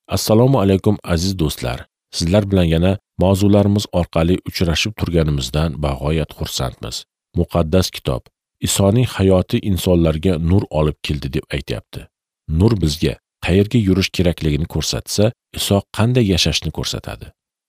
Assalomu alaykum aziz do'stlar. Sizlar bilan yana mavzularimiz orqali uchrashib turganimizdan bag'oyat xursandmiz. Muqaddas kitob Isoning hayoti insonlarga nur olib keldi deb aytayapti. Nur bizga qayerga yurish kerakligini ko'rsatsa, Iso qanday yashashni ko'rsatadi.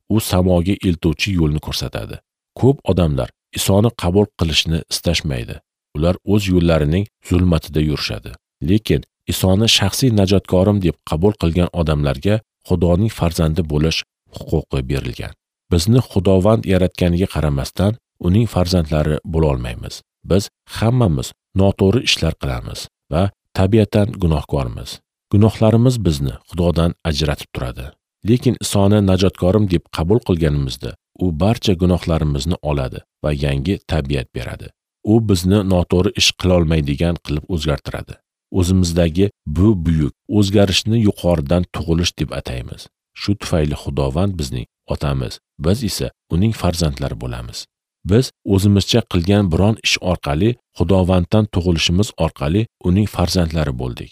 U samoga eltuvchi yo'lni ko'rsatadi. Ko'p odamlar Isoni qabul qilishni istashmaydi. Ular o'z yo'llarining zulmatida yurishadi. Lekin Isoni shaxsiy najotkorim deb qabul qilgan odamlarga Xudoning farzandi bo'lish huquqi berilgan. Bizni Xudovand yaratganiga qaramasdan uning farzandlari bo'la olmaymiz. Biz hammamiz noto'g'ri ishlar qilamiz va tabiatan gunohkormiz. Gunohlarimiz bizni Xudodan ajratib turadi. Lekin Isoni najotkorim deb qabul qilganimizda u barcha gunohlarimizni oladi va yangi tabiat beradi. U bizni noto'g'ri ish qila olmaydigan qilib o'zgartiradi. O'zimizdagi bu buyuk o'zgarishni yuqoridan tug'ilish deb ataymiz. Shu tufayli Xudovand bizning otamiz, biz esa uning farzandlari bo'lamiz. Biz o'zimizcha qilgan biron ish orqali Xudovanddan tug'ilishimiz orqali uning farzandlari bo'ldik.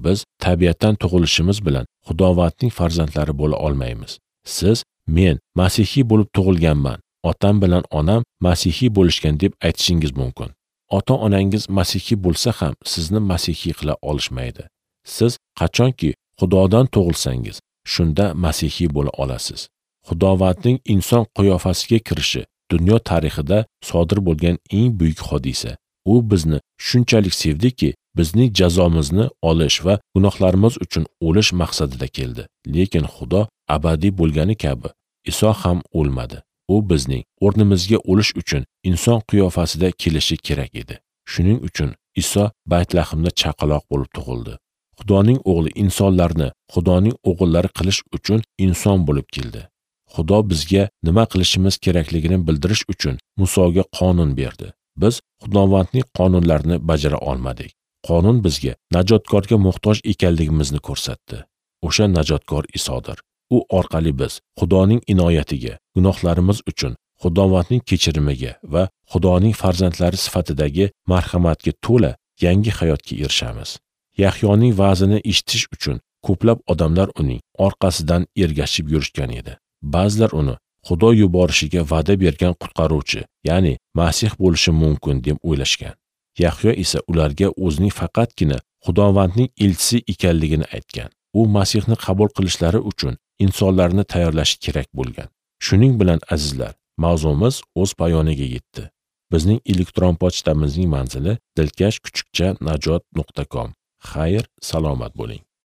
Biz tabiatdan tug'ilishimiz bilan Xudovandning farzandlari bo'la olmaymiz. Siz, men masihiy bo'lib tug'ilganman, otam bilan onam masihiy bo'lishgan deb aytishingiz mumkin. Ota-onangiz masihiy bo'lsa ham sizni masihiy qila olishmaydi. Siz qachonki Xudodan tug'ilsangiz, shunda masihiy bo'la olasiz. Xudovandning inson qiyofasiga kirishi dunyo tarixida sodir bo'lgan eng buyuk hodisa. U bizni shunchalik sevdiki, bizning jazomizni olish va gunohlarimiz uchun o'lish maqsadida keldi. Lekin Xudo abadiy bo'lgani kabi Iso ham o'lmadi. U bizning o'rnimizga o'lish uchun inson qiyofasida kelishi kerak edi. Shuning uchun Iso Baytlahimda chaqaloq bo'lib tug'ildi. Xudoning o'g'li insonlarni Xudoning o'g'illari qilish uchun inson bo'lib keldi. Xudo bizga nima qilishimiz kerakligini bildirish uchun Musoga qonun berdi. Biz Xudovandning qonunlarini bajara olmadik. Qonun bizga najotkorga muhtoj ekanligimizni ko'rsatdi. O'sha najotkor Isodir. U orqali biz Xudoning inoyatiga, gunohlarimiz uchun Xudovandning kechirimiga va Xudoning farzandlari sifatidagi marhamatga to'la yangi hayotga erishamiz. Yahyoning va'zini eshitish uchun ko'plab odamlar uning orqasidan ergashib yurishgan edi. Ba'zilar uni Xudo yuborishiga va'da bergan qutqaruvchi, ya'ni Masih bo'lishi mumkin deb o'ylashgan. Yahyo esa ularga o'zining faqatgina Xudovandning elchisi ekanligini aytgan. U Masihni qabul qilishlari uchun insonlarni tayyorlashi kerak bo'lgan. Shuning bilan azizlar, mavzumiz o'z poyoniga yetdi. Bizning elektron pochtamizning manzili dilkash@najot.com. Xayr, salomat bo'ling.